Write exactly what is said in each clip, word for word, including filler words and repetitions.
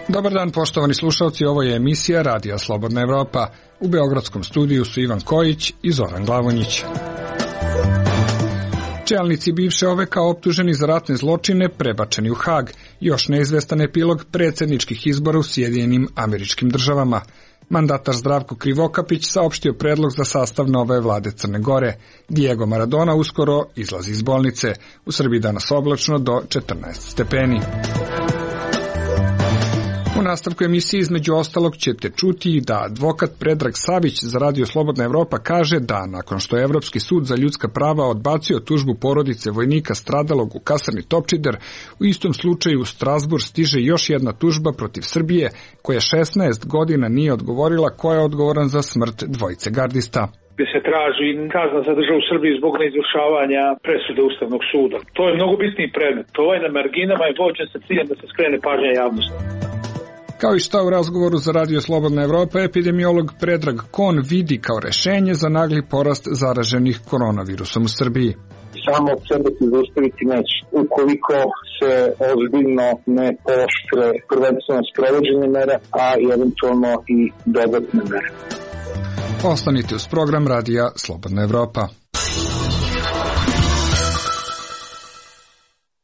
Dobar dan, poštovani slušalci, ovo je emisija Radija Slobodna Evropa. U beogradskom studiju su Ivan Kojić i Zoran Glavonjić. Čelnici bivše O V K optuženi za ratne zločine prebačeni u Hag. Još neizvestan epilog predsjedničkih izbora u Sjedinjenim Američkim Državama. Mandatar Zdravko Krivokapić saopštio predlog za sastav nove vlade Crne Gore. Diego Maradona uskoro izlazi iz bolnice. U Srbiji danas oblačno do četrnaest stepeni. U nastavku emisije između ostalog ćete čuti da advokat Predrag Savić za Radio Slobodna Evropa kaže da nakon što je Evropski sud za ljudska prava odbacio tužbu porodice vojnika stradalog u kasarni Topčider, u istom slučaju u Strasbourg stiže još jedna tužba protiv Srbije koja šesnaest godina nije odgovorila ko je odgovoran za smrt dvojice gardista. Gdje se traži kazna za državu Srbije zbog neizvršavanja presude Ustavnog suda. To je mnogo bitniji predmet. To je na marginama i vođen sa ciljem da se skrene pažnja javnosti. Kao i šta u razgovoru za Radio Slobodna Evropa, epidemiolog Predrag Kon vidi kao rešenje za nagli porast zaraženih koronavirusom u Srbiji. Samo od sebe se zaustaviti neće. Ukoliko se ozbiljno ne pooštre prvenstveno sprovođenje mera, a eventualno i dodatne mere. Ostanite uz program Radija Slobodna Evropa.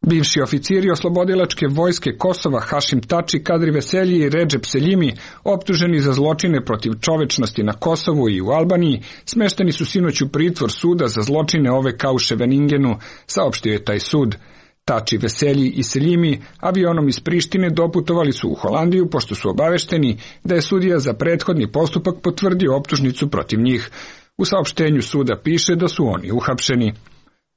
Bivši oficiri oslobodilačke vojske Kosova Hašim Tači, Kadri Veselji i Redžep Seljimi, optuženi za zločine protiv čovečnosti na Kosovu i u Albaniji, smešteni su sinoć u pritvor suda za zločine O V K u Ševeningenu, saopštio je taj sud. Tači, Veselji i Seljimi avionom iz Prištine doputovali su u Holandiju pošto su obavešteni da je sudija za prethodni postupak potvrdio optužnicu protiv njih. U saopštenju suda piše da su oni uhapšeni.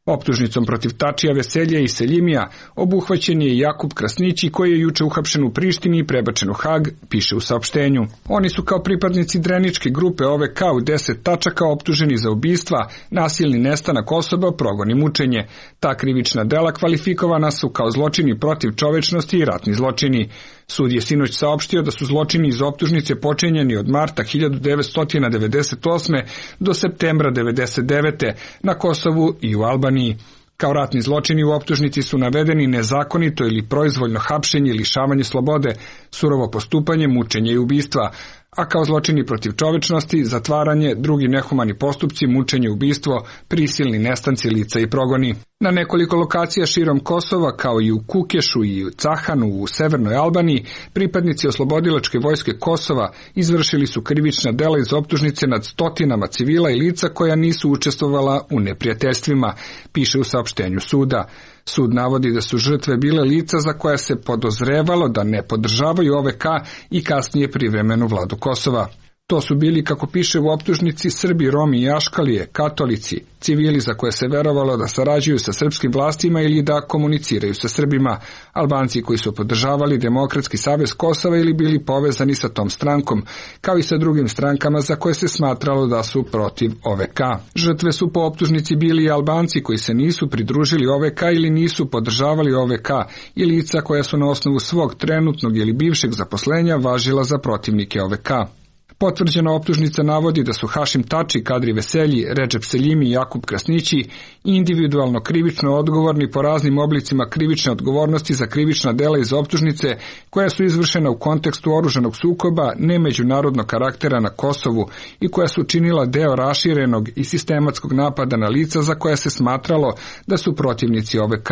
Optužnicom protiv Tačija, Veselja i Seljimija obuhvaćen je Jakub Krasnići koji je juče uhapšen u Prištini i prebačen u Hag, piše u saopštenju. Oni su kao pripadnici dreničke grupe O V K u deset tačaka optuženi za ubistva, nasilni nestanak osoba, progon i mučenje. Ta krivična dela kvalifikovana su kao zločini protiv čovečnosti i ratni zločini. Sud je sinoć saopštio da su zločini iz optužnice počinjeni od marta hiljadu devetsto devedeset osme do septembra devedeset devete na Kosovu i u Albaniji. Kao ratni zločini u optužnici su navedeni nezakonito ili proizvoljno hapšenje, lišavanje slobode, surovo postupanje, mučenje i ubistva, a kao zločini protiv čovečnosti, zatvaranje, drugi nehumani postupci, mučenje, ubistvo, prisilni nestanci lica i progoni. Na nekoliko lokacija širom Kosova, kao i u Kukešu i u Cahanu u severnoj Albaniji, pripadnici oslobodilačke vojske Kosova izvršili su krivična dela iz optužnice nad stotinama civila i lica koja nisu učestvovala u neprijateljstvima, piše u saopštenju suda. Sud navodi da su žrtve bile lica za koja se podozrevalo da ne podržavaju O V K i kasnije privremenu vladu Kosova. To su bili, kako piše u optužnici, Srbi, Romi i Aškalije, katolici, civili za koje se verovalo da sarađuju sa srpskim vlastima ili da komuniciraju sa Srbima, Albanci koji su podržavali Demokratski savez Kosova ili bili povezani sa tom strankom, kao i sa drugim strankama za koje se smatralo da su protiv O V K. Žrtve su po optužnici bili i Albanci koji se nisu pridružili O V K ili nisu podržavali O V K i lica koja su na osnovu svog trenutnog ili bivšeg zaposlenja važila za protivnike O V K. Potvrđena optužnica navodi da su Hašim Tači, Kadri Veselji, Redžep Seljimi i Jakub Krasnići individualno krivično odgovorni po raznim oblicima krivične odgovornosti za krivična dela iz optužnice koja su izvršena u kontekstu oružanog sukoba nemeđunarodnog karaktera na Kosovu i koja su činila deo raširenog i sistematskog napada na lica za koja se smatralo da su protivnici O V K,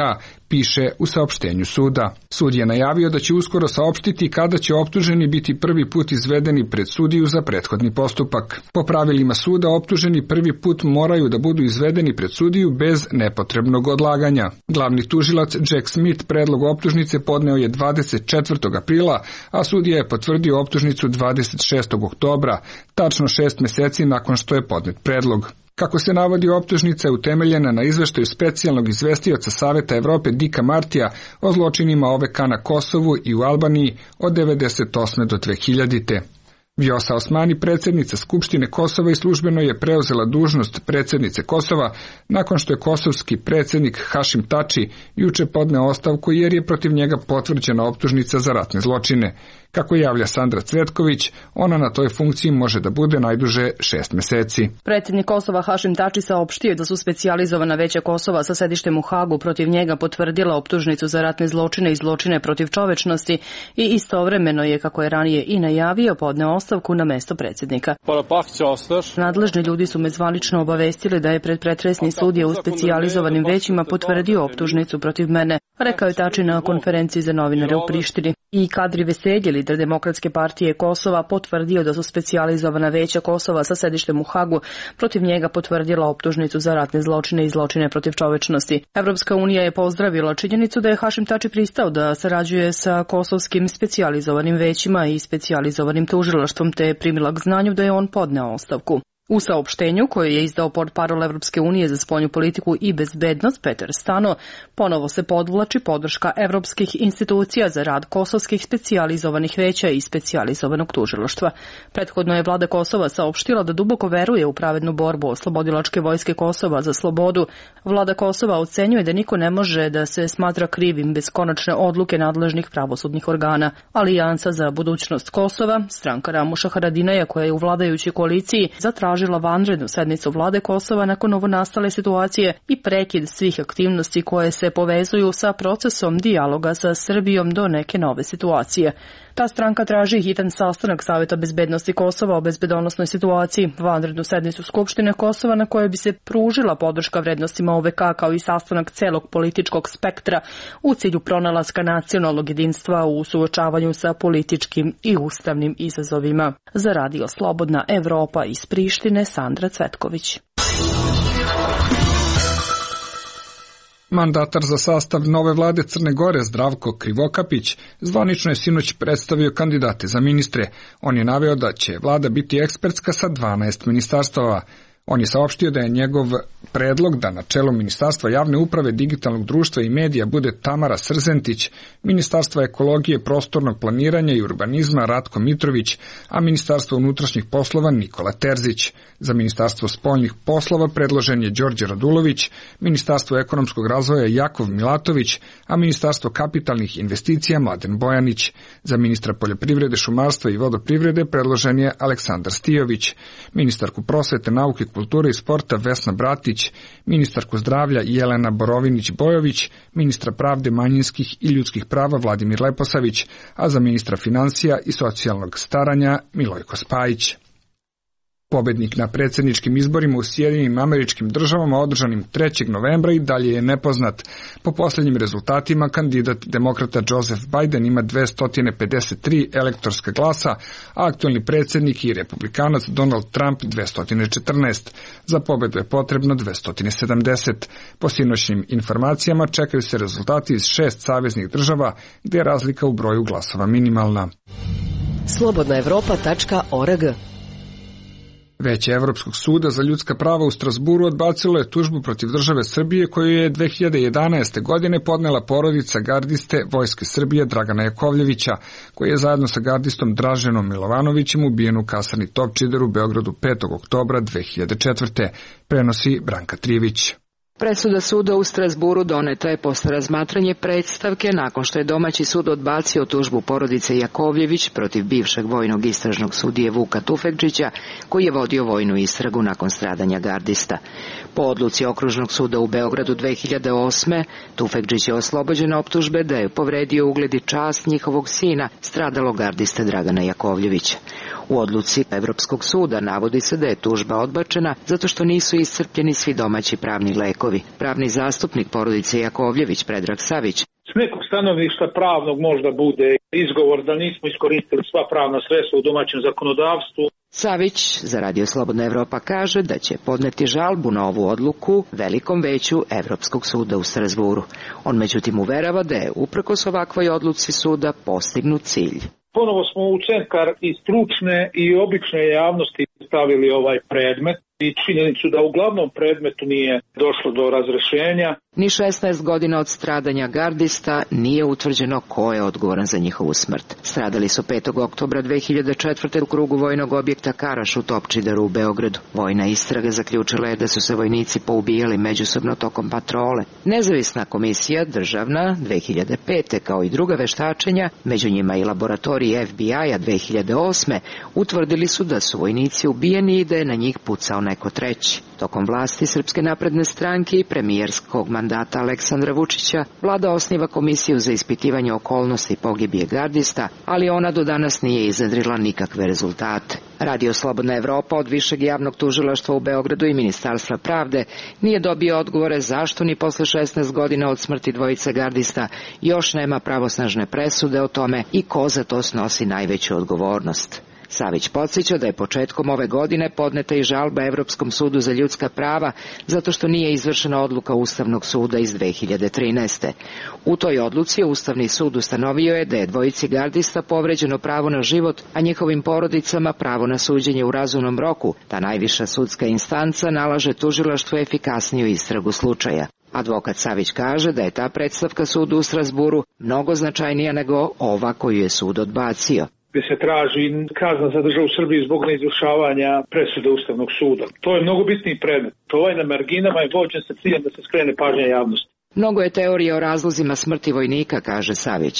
piše u saopštenju suda. Sud je najavio da će uskoro saopštiti kada će optuženi biti prvi put izvedeni pred sudiju za prethodni postupak. Po pravilima suda optuženi prvi put moraju da budu izvedeni pred sudiju bez nepotrebnog odlaganja. Glavni tužilac Jack Smith predlog optužnice podneo je dvadeset četvrtog aprila, a sudija je potvrdio optužnicu dvadeset šestog oktobra, tačno šest meseci nakon što je podnet predlog. Kako se navodi, optužnica je utemeljena na izveštaju specijalnog izvestioca Saveta Evrope Dika Martija o zločinima O V K na Kosovu i u Albaniji od devedeset osme do dve hiljadite. Vjosa Osmani, predsjednica Skupštine Kosova i službeno je preuzela dužnost predsjednice Kosova nakon što je kosovski predsjednik Hašim Tači juče podneo ostavku jer je protiv njega potvrđena optužnica za ratne zločine. Kako javlja Sandra Cvetković, ona na toj funkciji može da bude najduže šest meseci. Predsjednik Kosova Hašim Tači saopštio da su specijalizovana veća Kosova sa sedištem u Hagu protiv njega potvrdila optužnicu za ratne zločine i zločine protiv čovečnosti i istovremeno je, kako je ranije i najavio, podneo ostavku na mesto predsjednika. Nadležni ljudi su me zvanično obavestili da je pred pretresni sudija u specijalizovanim većima potvrdio optužnicu protiv mene, rekao je Tači na konferenciji za novinare u Prištini. I Kadri Veselji, lider Demokratske partije Kosova, potvrdio da su specijalizovana veća Kosova sa sedištem u Hagu protiv njega potvrdila optužnicu za ratne zločine i zločine protiv čovečnosti. Evropska unija je pozdravila činjenicu da je Hašim Tači pristao da sarađuje sa kosovskim specijalizovanim većima i specijalizovanim tužilaštvom, te je primila k znanju da je on podneo ostavku. U saopštenju koje je izdao portparol Evropske unije za spoljnu politiku i bezbednost Peter Stano, ponovo se podvlači podrška evropskih institucija za rad kosovskih specijalizovanih veća i specijalizovanog tužilaštva. Prethodno je vlada Kosova saopštila da duboko veruje u pravednu borbu oslobodilačke vojske Kosova za slobodu. Vlada Kosova ocenjuje da niko ne može da se smatra krivim bez konačne odluke nadležnih pravosudnih organa. Alijansa za budućnost Kosova, stranka Ramuša Haradinaja koja je u vladajućoj koaliciji, zatražila vanrednu sednicu vlade Kosova nakon novonastale situacije i prekid svih aktivnosti koje se povezuju sa procesom dijaloga sa Srbijom do neke nove situacije. Ta stranka traži hitan sastanak Saveta bezbednosti Kosova o bezbedonosnoj situaciji, vanrednu sednicu Skupštine Kosova na kojoj bi se pružila podrška vrednostima O V K kao i sastanak celog političkog spektra u cilju pronalaska nacionalnog jedinstva u suočavanju sa političkim i ustavnim izazovima. Za Radio Slobodna Evropa iz Prištine, Sandra Cvetković. Mandatar za sastav nove vlade Crne Gore Zdravko Krivokapić zvanično je sinoć predstavio kandidate za ministre. On je naveo da će vlada biti ekspertska sa dvanaest ministarstava. On je saopštio da je njegov predlog da na čelu Ministarstva javne uprave, digitalnog društva i medija bude Tamara Srzentić, Ministarstva ekologije, prostornog planiranja i urbanizma Ratko Mitrović, a Ministarstvo unutrašnjih poslova Nikola Terzić. Za Ministarstvo spoljnih poslova predložen je Đorđe Radulović, Ministarstvo ekonomskog razvoja Jakov Milatović, a Ministarstvo kapitalnih investicija Mladen Bojanić. Za ministra poljoprivrede, šumarstva i vodoprivrede predložen je Aleksandar Stijović, ministarku prosvete, nauke, kulture i sporta Vesna Bratić, ministarku zdravlja Jelena Borovinić-Bojović, ministra pravde, manjinskih i ljudskih prava Vladimir Leposavić, a za ministra financija i socijalnog staranja Milojko Spajić. Pobednik na predsjedničkim izborima u Sjedinjenim Američkim Državama održanim trećeg novembra i dalje je nepoznat. Po posljednjim rezultatima kandidat demokrata Joseph Biden ima dvesta pedeset tri elektorska glasa, a aktualni predsjednik i republikanac Donald Trump dvesta četrnaest. Za pobedu je potrebno dvesta sedamdeset. Po sinoćnim informacijama čekaju se rezultati iz šest saveznih država gdje je razlika u broju glasova minimalna. slobodna evropa tačka org. Veće Evropskog suda za ljudska prava u Strasburu odbacilo je tužbu protiv države Srbije koju je dve hiljade jedanaeste. godine podnela porodica gardiste Vojske Srbije Dragana Jakovljevića, koji je zajedno sa gardistom Draženom Milovanovićem ubijen u kasarni Topčider u Beogradu petog oktobra dve hiljade četvrte. Prenosi Branka Trijević. Presuda suda u Strasburu doneta je posle razmatranje predstavke nakon što je domaći sud odbacio tužbu porodice Jakovljević protiv bivšeg vojnog istražnog sudije Vuka Tufekčića, koji je vodio vojnu istragu nakon stradanja gardista. Po odluci Okružnog suda u Beogradu dve hiljade osme. Tufekčić je oslobođen optužbe da je povredio ugled i čast njihovog sina, stradalog gardiste Dragana Jakovljevića. U odluci Evropskog suda navodi se da je tužba odbačena zato što nisu iscrpljeni svi domaći pravni lekovi. Pravni zastupnik porodice Jakovljević Predrag Savić. S nekog stanovišta pravnog možda bude izgovor da nismo iskoristili sva pravna sredstva u domaćem zakonodavstvu. Savić za Radio Slobodna Evropa kaže da će podneti žalbu na ovu odluku Velikom veću Evropskog suda u Strasburu. On međutim uverava da je uprkos ovakvoj odluci suda postignut cilj. Ponovo smo u centar i stručne i obične javnosti stavili ovaj predmet i činjenicu da u glavnom predmetu nije došlo do razrešenja. Ni šesnaest godina od stradanja gardista nije utvrđeno ko je odgovoran za njihovu smrt. Stradali su petog oktobra dve hiljade četvrte u krugu vojnog objekta Karaš u Topčideru u Beogradu. Vojna istraga zaključila je da su se vojnici poubijali međusobno tokom patrole. Nezavisna komisija državna dve hiljade pete kao i druga veštačenja, među njima i laboratoriji F B I-a dve hiljade osme, utvrdili su da su vojnici ubijeni i da je na njih pucao neko treći. Tokom vlasti Srpske napredne stranke i premijerskog mandata Aleksandra Vučića, vlada osniva komisiju za ispitivanje okolnosti pogibije gardista, ali ona do danas nije iznedrila nikakve rezultate. Radio Slobodna Evropa od Višeg javnog tužilaštva u Beogradu i Ministarstva pravde nije dobio odgovore zašto ni posle šesnaest godina od smrti dvojice gardista još nema pravosnažne presude o tome i ko za to snosi najveću odgovornost. Savić podsjeća da je početkom ove godine podneta i žalba Evropskom sudu za ljudska prava zato što nije izvršena odluka Ustavnog suda iz dve hiljade trinaeste. U toj odluci Ustavni sud ustanovio je da je dvojici gardista povređeno pravo na život, a njihovim porodicama pravo na suđenje u razumnom roku. Ta najviša sudska instanca nalaže tužilaštvu efikasniju istragu slučaja. Advokat Savić kaže da je ta predstavka sudu u Strazburu mnogo značajnija nego ova koju je sud odbacio. Gde se traži kazna za državu Srbiju zbog neizvršavanja presude Ustavnog suda. To je mnogo bitniji predmet. Ovaj na marginama je vođen sa ciljem da se skrene pažnja javnosti. Mnogo je teorija o razlozima smrti vojnika, kaže Savić.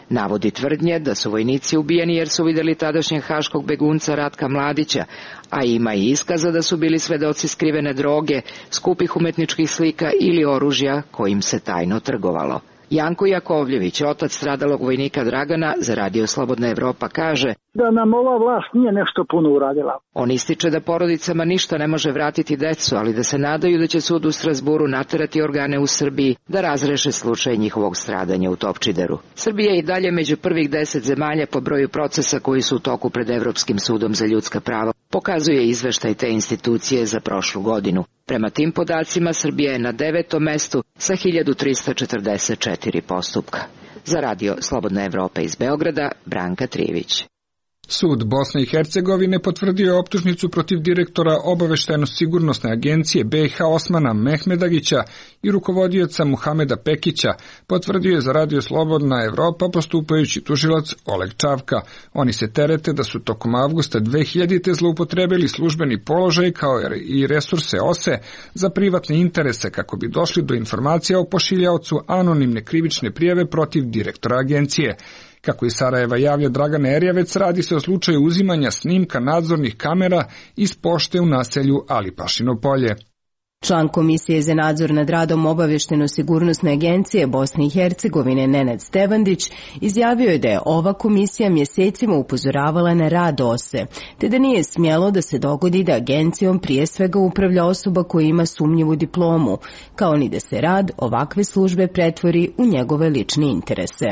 Navodi tvrdnje da su vojnici ubijeni jer su videli tadašnjeg haškog begunca Ratka Mladića, a ima i iskaza da su bili svedoci skrivene droge, skupih umetničkih slika ili oružja kojim se tajno trgovalo. Janko Jakovljević, otac stradalog vojnika Dragana, za Radio Slobodna Evropa kaže da nam ova vlast nije nešto puno uradila. On ističe da porodicama ništa ne može vratiti decu, ali da se nadaju da će sud u Strazburu naterati organe u Srbiji da razreše slučaj njihovog stradanja u Topčideru. Srbija je i dalje među prvih deset zemalja po broju procesa koji su u toku pred Evropskim sudom za ljudska prava, pokazuje izveštaj te institucije za prošlu godinu. Prema tim podacima Srbija je na devetom mestu sa hiljadu trista četrdeset četiri postupka. Za Radio Slobodna Evropa iz Beograda, Branka Trijević. Sud Bosne i Hercegovine potvrdio je optužnicu protiv direktora obaveštajno-sigurnosne agencije B i H Osmana Mehmedagića i rukovodioca Muhameda Pekića, potvrdio je za Radio Slobodna Evropa postupajući tužilac Oleg Čavka. Oni se terete da su tokom avgusta dve hiljadite zloupotrebili službeni položaj kao i resurse O S E za privatne interese kako bi došli do informacija o pošiljaocu anonimne krivične prijave protiv direktora agencije. Kako iz Sarajeva javlja Dragan Erjavec, radi se o slučaju uzimanja snimka nadzornih kamera iz pošte u naselju Alipašino polje. Član Komisije za nadzor nad radom obavješteno-sigurnosne agencije Bosne i Hercegovine Nenad Stevandić izjavio je da je ova komisija mjesecima upozoravala na rad O S E, te da nije smjelo da se dogodi da agencijom prije svega upravlja osoba koja ima sumnjivu diplomu, kao ni da se rad ovakve službe pretvori u njegove lične interese.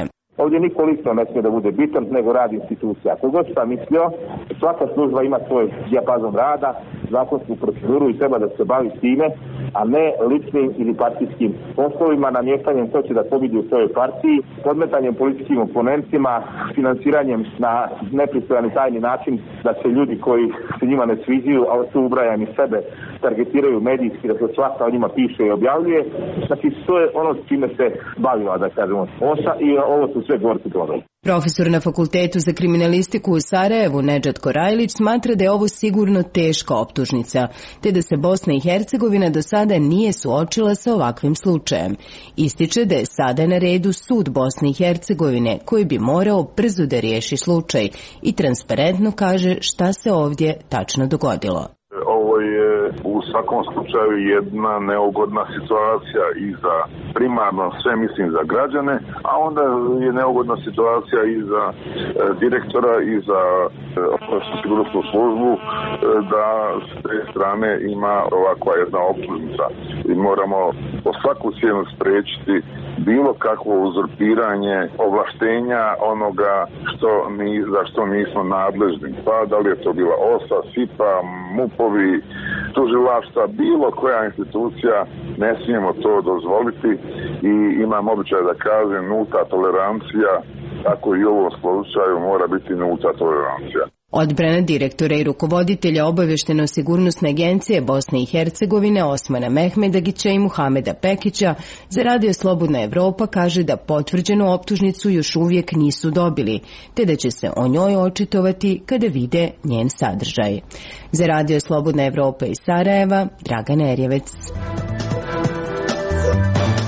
Ovdje niko lično ne smije da bude bitan, nego rad institucija. Ako god sam mislio, svaka služba ima svoj dijapazon rada, zakonsku proceduru i treba da se bavi time, a ne ličnim ili partijskim poslovima, namještanjem ko će da pobedi u svojoj partiji, podmetanjem političkim oponentima, finansiranjem na nepristojan i tajni način da se ljudi koji se njima ne sviđaju, a tu ubrajam i sebe, targetiraju medijski, da se svaka o njima piše i objavljuje. Znači, to je ono s čime se bavila, da kažemo, O S A i ovo su sve gorki plodovi. Profesor na Fakultetu za kriminalistiku u Sarajevu Nedžad Korajlić smatra da je ovo sigurno teška optužnica, te da se Bosna i Hercegovina do sada nije suočila sa ovakvim slučajem. Ističe da je sada na redu sud Bosne i Hercegovine koji bi morao brzo da riješi slučaj i transparentno kaže šta se ovdje tačno dogodilo. Ovo je u svakom slučaju jedna neugodna situacija i za primarno sve mislim za građane, a onda je neugodna situacija i za e, direktora i za e, sigurnosnu službu e, da s te strane ima ovakva jedna optužnica i moramo po svaku cijenu spriječiti bilo kakvo uzurpiranje ovlaštenja onoga što mi, za što nismo nadležni. Pa da li je to bila O S A, S I P A, MUP-ovi, tužilaštva, bilo koja institucija, ne smijemo to dozvoliti i imam običaj da kažem nulta tolerancija, tako i u ovom slučaju mora biti nulta tolerancija. Odbrana direktora i rukovoditelja obavješteno-sigurnosne agencije Bosne i Hercegovine Osmana Mehmedagića i Muhameda Pekića za Radio Slobodna Evropa kaže da potvrđenu optužnicu još uvijek nisu dobili, te da će se o njoj očitovati kada vide njen sadržaj. Za Radio Slobodna Evropa iz Sarajeva, Dragana Erjevec.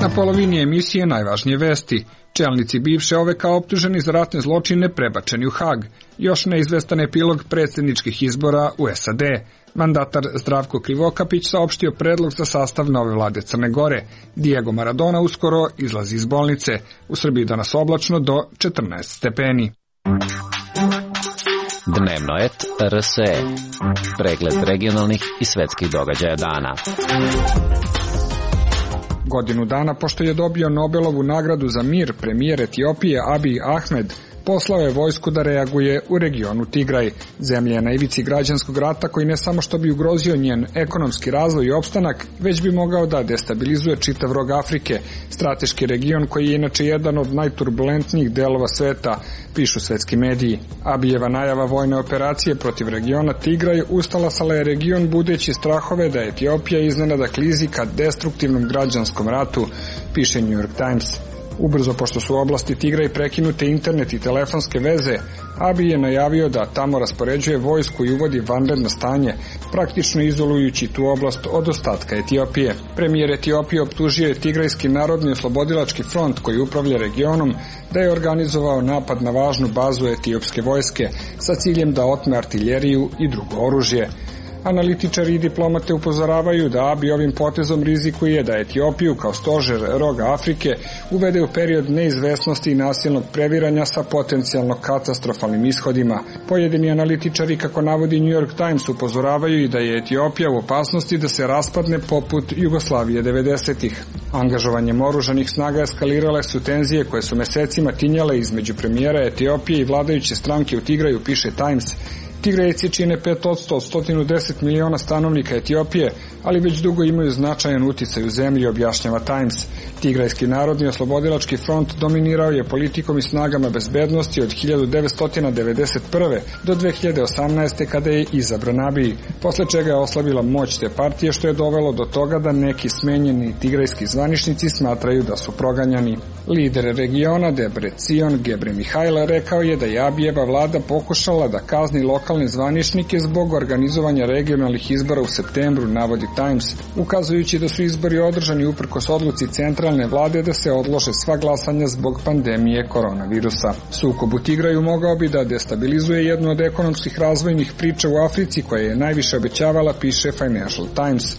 Na polovini emisije najvažnije vesti. Čelnici bivše O V K optuženi za ratne zločine prebačeni u Hag. Još neizvestan epilog predsjedničkih izbora u S A D. Mandatar Zdravko Krivokapić saopštio predlog za sastav nove vlade Crne Gore. Diego Maradona uskoro izlazi iz bolnice. U Srbiji danas oblačno do četrnaest stepeni. Dnevno et R S E. Pregled regionalnih i svetskih događaja dana. Godinu dana pošto je dobio Nobelovu nagradu za mir, premijer Etiopije Abiy Ahmed poslao je vojsku da reaguje u regionu Tigraj. Zemlja je na ivici građanskog rata koji ne samo što bi ugrozio njen ekonomski razvoj i opstanak, već bi mogao da destabilizuje čitav rog Afrike, strateški region koji je inače jedan od najturbulentnijih delova sveta, pišu svetski mediji. Abijeva najava vojne operacije protiv regiona Tigraj ustalasala je region budeći strahove da Etiopija iznenada klizi ka destruktivnom građanskom ratu, piše New York Times. Ubrzo, pošto su u oblasti Tigraj prekinute internet i telefonske veze, Abiy je najavio da tamo raspoređuje vojsku i uvodi vanredno stanje, praktično izolujući tu oblast od ostatka Etiopije. Premijer Etiopije optužio je Tigrajski narodni oslobodilački front koji upravlja regionom da je organizovao napad na važnu bazu etiopske vojske sa ciljem da otme artiljeriju i drugo oružje. Analitičari i diplomate upozoravaju da Abiy ovim potezom rizikuje da Etiopiju kao stožer roga Afrike uvede u period neizvesnosti i nasilnog previranja sa potencijalno katastrofalnim ishodima. Pojedini analitičari, kako navodi New York Times, upozoravaju i da je Etiopija u opasnosti da se raspadne poput Jugoslavije devedesetih. Angažovanjem oružanih snaga eskalirale su tenzije koje su mesecima tinjale između premijera Etiopije i vladajuće stranke u Tigraju, piše Times. Tigrajci čine pet posto od sto deset miliona stanovnika Etiopije, ali već dugo imaju značajan uticaj u zemlji, objašnjava Times. Tigrajski narodni oslobodilački front dominirao je politikom i snagama bezbednosti od hiljadu devetsto devedeset prve do dve hiljade osamnaeste. kada je izabran Abiy, posle čega je oslabila moć te partije, što je dovelo do toga da neki smenjeni tigrajski zvaničnici smatraju da su proganjani. Lider regiona Debrecen Gebremihajl rekao je da je Abijeva vlada pokušala da kazni lokalne zvaničnike zbog organizovanja regionalnih izbora u septembru, navodi Times, ukazujući da su izbori održani uprkos odluci centralne vlade da se odlože sva glasanja zbog pandemije koronavirusa. Sukob u Tigraju mogao bi da destabilizuje jednu od ekonomskih razvojnih priča u Africi koja je najviše obećavala, piše Financial Times,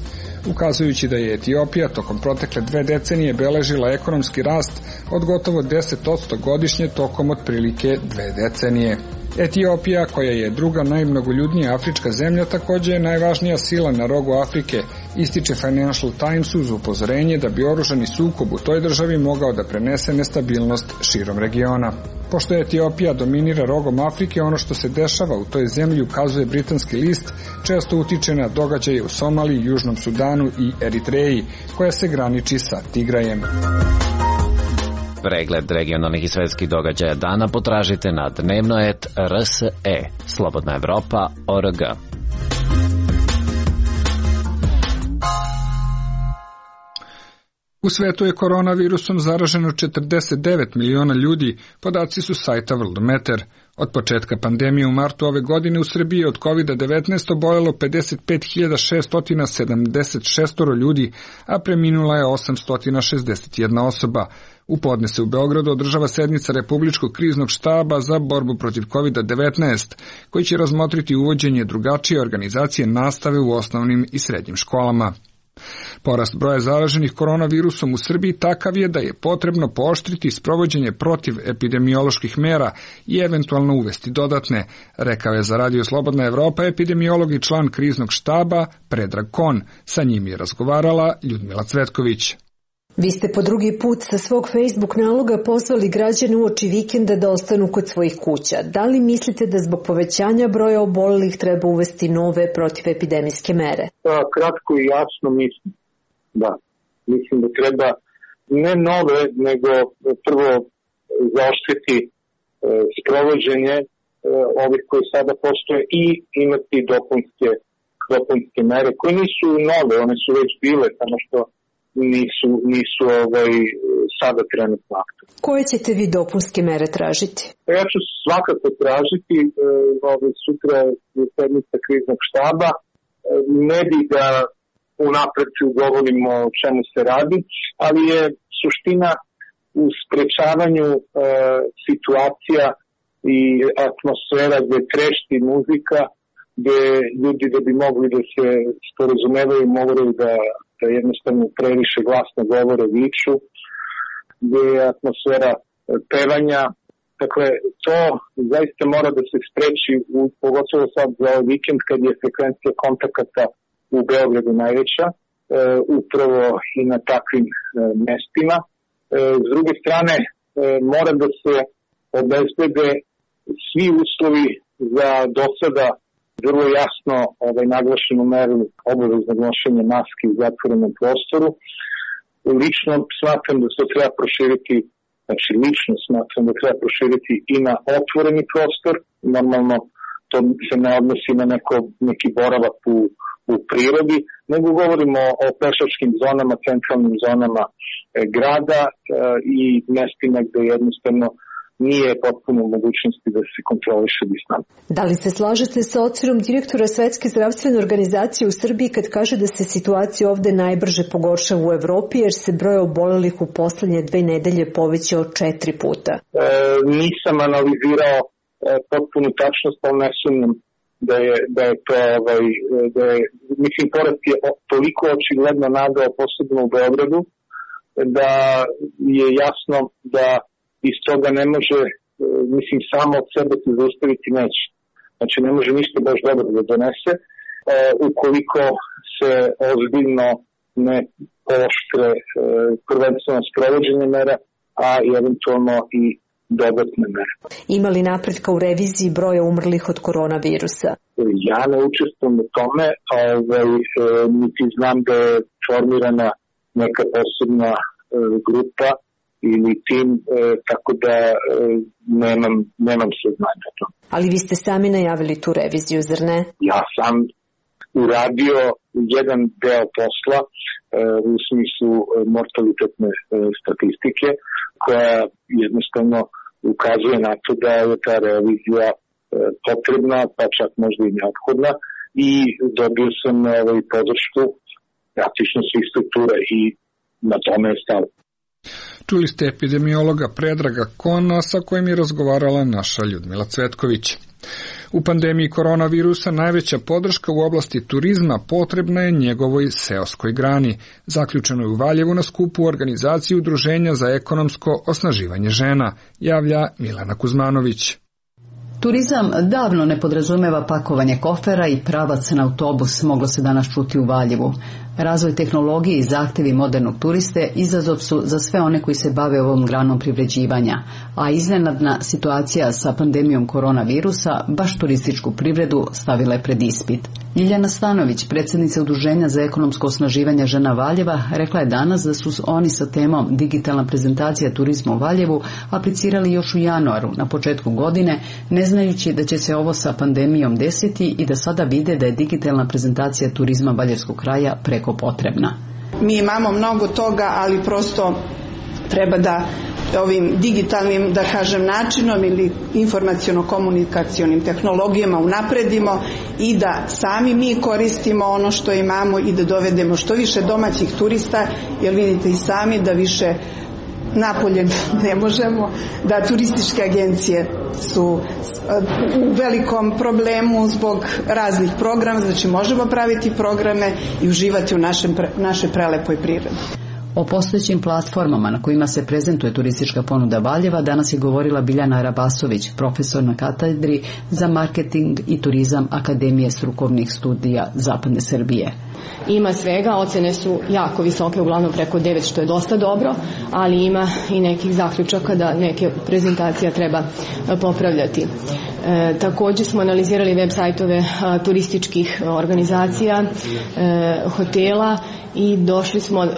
ukazujući da je Etiopija tokom protekle dve decenije beležila ekonomski rast od gotovo deset posto godišnje tokom otprilike dve decenije. Etiopija, koja je druga najmnogoljudnija afrička zemlja, također je najvažnija sila na rogu Afrike, ističe Financial Times uz upozorenje da bi oružani sukob u toj državi mogao da prenese nestabilnost širom regiona. Pošto Etiopija dominira rogom Afrike, ono što se dešava u toj zemlji, ukazuje britanski list, često utiče na događaje u Somaliji, Južnom Sudanu i Eritreji, koja se graniči sa Tigrajem. Pregled regionalnih i svetskih događaja dana potražite na dnevno et R S E, Slobodna Evropa, O R G. U svetu je koronavirusom zaraženo četrdeset devet miliona ljudi, podaci su sajta Worldometer. Od početka pandemije u martu ove godine u Srbiji je od kovid devetnaest oboljelo pedeset pet hiljada šesto sedamdeset šest ljudi, a preminula je osamsto šezdeset jedna osoba. U podne se u Beogradu održava sednica Republičkog kriznog štaba za borbu protiv kovid devetnaest, koji će razmotriti uvođenje drugačije organizacije nastave u osnovnim i srednjim školama. Porast broja zaraženih koronavirusom u Srbiji takav je da je potrebno pooštriti sprovođenje protiv epidemioloških mera i eventualno uvesti dodatne, rekao je za Radio Slobodna Evropa epidemiolog i član kriznog štaba Predrag Kon. Sa njim je razgovarala Ljudmila Cvetković. Vi ste po drugi put sa svog Facebook naloga pozvali građane uoči vikenda da ostanu kod svojih kuća. Da li mislite da zbog povećanja broja obolelih treba uvesti nove protivepidemijske mere? Da, kratko i jasno mislim. Da, mislim da treba ne nove, nego prvo zaoštriti e, sprovođenje ovih koji sada postoje i imati dopunske, dopunske mere koje nisu nove, one su već bile, samo što nisu, nisu ovaj, sada trenutno aktivne. Koje ćete vi dopunske mere tražiti? Ja ću svakako tražiti, ovaj, sutra je sednica kriznog štaba, ne bi da unapred govorimo o čemu se radi, ali je suština u sprečavanju e, situacija i atmosfera gde trešti muzika, gde ljudi da bi mogli da se sporazumevaju moraju da, da jednostavno previše glasno govore, viču, gde je atmosfera pevanja. Dakle, to zaista mora da se spreči, u, pogotovo sad za ovaj vikend kad je frekvencija kontakata u Beogradu najveća, e, upravo i na takvim e, mestima. E, s druge strane, e, mora da se obezbede svi uslovi za do sada vrlo jasno ovaj, naglašenu meru obaveznog nošenja maske u zatvorenom prostoru. Lično smatram da se treba proširiti, znači lično smatram da treba proširiti i na otvoreni prostor. Normalno to se ne odnosi na neko, neki boravak u, u prirodi, nego govorimo o pešačkim zonama, centralnim zonama e, grada e, i mestima gde jednostavno nije potpuno u mogućnosti da se kontroliše distanca. Da li se slažete sa ocenom direktora Svetske zdravstvene organizacije u Srbiji kad kaže da se situacija ovde najbrže pogoršava u Evropi jer se broj obolelih u poslednje dve nedelje povećao četiri puta? E, nisam analizirao e, potpunu tačnost, ali ne sumnjam da je, da je to, ovaj, da je, mislim, porast je toliko očigledno nagao, posebno u Beogradu, da je jasno da iz toga ne može, mislim, samo od sebe se zaustaviti neće. Znači, ne može ništa baš dobro da donese, e, ukoliko se ozbiljno ne pooštre e, prvenstveno sprovođenje mera, a eventualno i dodatne mere. Ima li napretka u reviziji broja umrlih od koronavirusa? Ja ne učestvujem u tome, ovaj, e, niti znam da je formirana neka posebna e, grupa ili tim, e, tako da e, nemam, nemam saznanja o tom. Ali vi ste sami najavili tu reviziju, zar ne? Ja sam uradio jedan deo posla e, u smislu mortalitetne e, statistike, koja jednostavno ukazuje na to da je ta revizija e, potrebna, pa čak možda i neophodna, i dobio sam ovaj, podršku praktično svih struktura i na tome je stalo. Čuli ste epidemiologa Predraga Kona sa kojim je razgovarala naša Ljudmila Cvetković. U pandemiji koronavirusa najveća podrška u oblasti turizma potrebna je njegovoj seoskoj grani. Zaključeno je u Valjevu na skupu organizaciji Udruženja za ekonomsko osnaživanje žena, javlja Milana Kuzmanović. Turizam davno ne podrazumeva pakovanje kofera i pravac na autobus, moglo se danas čuti u Valjevu. Razvoj tehnologije i zahtevi modernog turiste izazov su za sve one koji se bave ovom granom privređivanja, a iznenadna situacija sa pandemijom koronavirusa baš turističku privredu stavila je pred ispit. Ljiljana Stanović, predsjednica Udruženja za ekonomsko osnaživanje žena Valjeva, rekla je danas da su oni sa temom digitalna prezentacija turizma u Valjevu aplicirali još u januaru, na početku godine, ne znajući da će se ovo sa pandemijom desiti i da sada vide da je digitalna prezentacija turizma valjevskog kraja preko potrebna. Mi imamo mnogo toga, ali prosto treba da ovim digitalnim, da kažem, načinom ili informaciono-komunikacionim tehnologijama unapredimo i da sami mi koristimo ono što imamo i da dovedemo što više domaćih turista, jer vidite i sami da više napolje ne možemo, da turističke agencije su u velikom problemu zbog raznih programa, znači možemo praviti programe i uživati u našem, našoj prelepoj prirodi. O postojećim platformama na kojima se prezentuje turistička ponuda Valjeva danas je govorila Biljana Rabasović, profesor na katedri za marketing i turizam Akademije strukovnih studija Zapadne Srbije. Ima svega, ocene su jako visoke, uglavnom preko devet, što je dosta dobro, ali ima i nekih zaključaka da neke prezentacija treba popravljati. E, također smo analizirali web sajtove a, turističkih organizacija, e, hotela i došli smo e,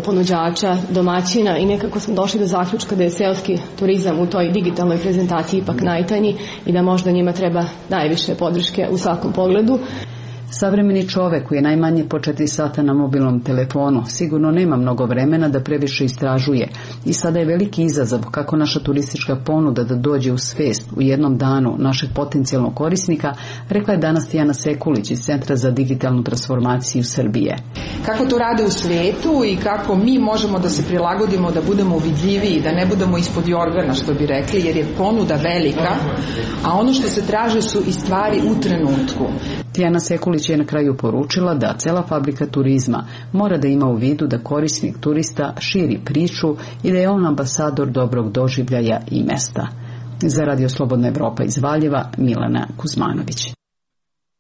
ponuđača, domaćina i nekako smo došli do zaključka da je seoski turizam u toj digitalnoj prezentaciji ipak najtanji i da možda njima treba najviše podrške u svakom pogledu. Savremeni čovek koji je najmanje po četiri sata na mobilnom telefonu sigurno nema mnogo vremena da previše istražuje i sada je veliki izazov kako naša turistička ponuda da dođe u svest u jednom danu našeg potencijalnog korisnika, rekla je danas Tijana Sekulić iz Centra za digitalnu transformaciju Srbije. Kako to rade u svetu i kako mi možemo da se prilagodimo, da budemo vidljiviji, da ne budemo ispod jorgana, što bi rekli, jer je ponuda velika, a ono što se traže su i stvari u trenutku. Tijana Sekulić je na kraju poručila da cela fabrika turizma mora da ima u vidu da korisnik turista širi priču i da je on ambasador dobrog doživljaja i mesta. Za Radio Slobodna Evropa iz Valjeva, Milana Kuzmanović.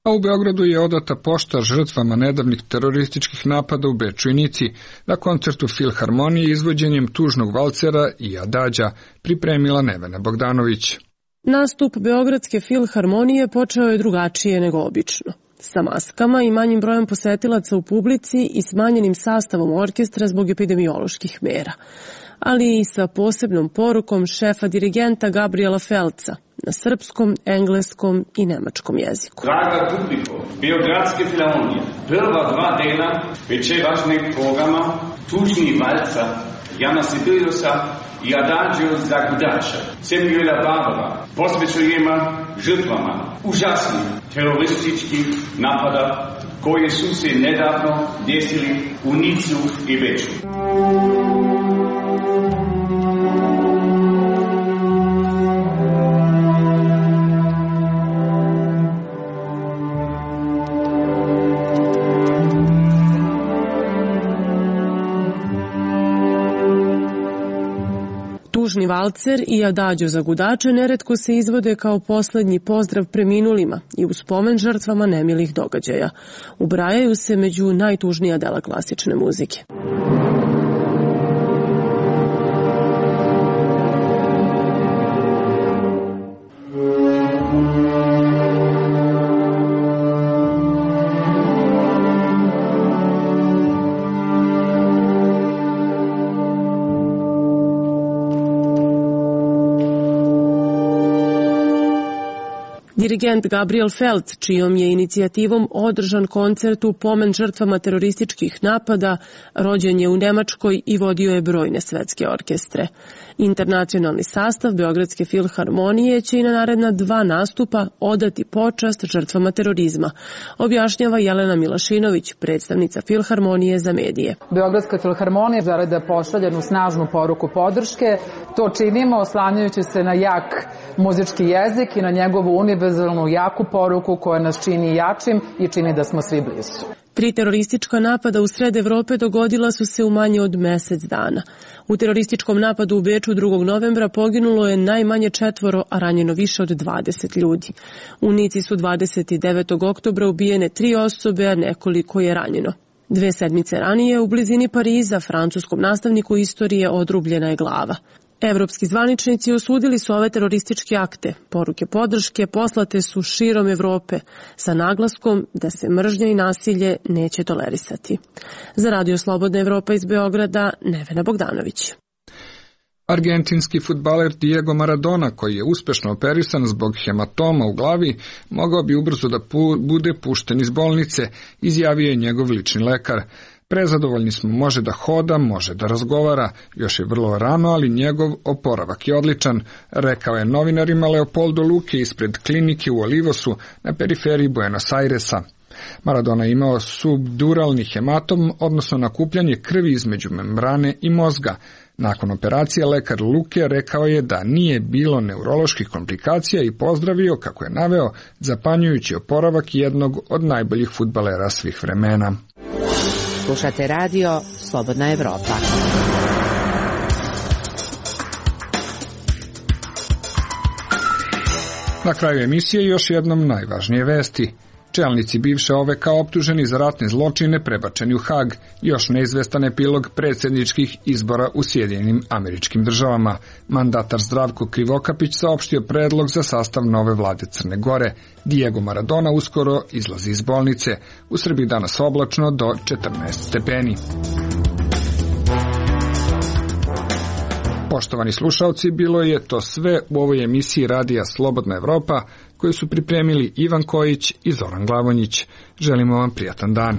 A u Beogradu je odata pošta žrtvama nedavnih terorističkih napada u Beču i Nici na koncertu Filharmonije izvođenjem tužnog valcera i Adađa pripremila Nevena Bogdanović. Nastup Beogradske filharmonije počeo je drugačije nego obično. Sa maskama i manjim brojem posetilaca u publici i smanjenim sastavom orkestra zbog epidemioloških mera, ali i sa posebnom porukom šefa dirigenta Gabriela Felca na srpskom, engleskom i nemačkom jeziku. Draga publiko, Beogradske filharmonije, prva dva dela večerašnjeg programa Tužni valca Jana Sibeliusa i Adagio za gudača Samuela Barbara posvećujemo žrtvama užasnih terorističkih napada koje su se nedavno desili u Nicu i Beču. Tužni valcer i Adagio za gudače neretko se izvode kao poslednji pozdrav preminulima i u spomen žrtvama nemilih događaja. Ubrajaju se među najtužnija dela klasične muzike. Dirigent Gabriel Felt, čijom je inicijativom održan koncert u pomen žrtvama terorističkih napada, rođen je u Nemačkoj i vodio je brojne svetske orkestre. Internacionalni sastav Beogradske filharmonije će i na naredna dva nastupa odati počast žrtvama terorizma, objašnjava Jelena Milašinović, predstavnica Filharmonije za medije. Beogradska filharmonija želi da pošalje jednu snažnu poruku podrške. To činimo oslanjajući se na jak muzički jezik i na njegovu univerzalnu jaku poruku koja nas čini jačim i čini da smo svi blizu. Tri teroristička napada u sred Evrope dogodila su se u manje od mesec dana. U terorističkom napadu u Beču drugog novembra poginulo je najmanje četvoro, a ranjeno više od dvadeset ljudi. U Nici su dvadeset devetog oktobra ubijene tri osobe, a nekoliko je ranjeno. Dve sedmice ranije u blizini Pariza francuskom nastavniku istorije odrubljena je glava. Evropski zvaničnici osudili su ove terorističke akte. Poruke podrške poslate su širom Evrope sa naglaskom da se mržnja i nasilje neće tolerisati. Za Radio Slobodna Evropa iz Beograda, Nevena Bogdanović. Argentinski fudbaler Diego Maradona, koji je uspešno operisan zbog hematoma u glavi, mogao bi ubrzo da pu- bude pušten iz bolnice, izjavio je njegov lični lekar. Prezadovoljni smo, može da hoda, može da razgovara, još je vrlo rano, ali njegov oporavak je odličan, rekao je novinarima Leopoldo Luque ispred klinike u Olivosu na periferiji Buenos Airesa. Maradona je imao subduralni hematom, odnosno nakupljanje krvi između membrane i mozga. Nakon operacije lekar Luque rekao je da nije bilo neuroloških komplikacija i pozdravio, kako je naveo, zapanjujući oporavak jednog od najboljih fudbalera svih vremena. Slušate radio Slobodna Evropa. Na kraju emisije još jednom najvažnije vesti. Čelnici bivše O V K optuženi za ratne zločine prebačeni u Hag, još neizvestan epilog predsjedničkih izbora u Sjedinjenim Američkim Državama. Mandatar Zdravko Krivokapić saopštio predlog za sastav nove vlade Crne Gore. Diego Maradona uskoro izlazi iz bolnice. U Srbiji danas oblačno do četrnaest stepeni. Poštovani slušalci, bilo je to sve u ovoj emisiji Radija Slobodna Evropa, koju su pripremili Ivan Kojić i Zoran Glavonjić. Želimo vam prijatan dan.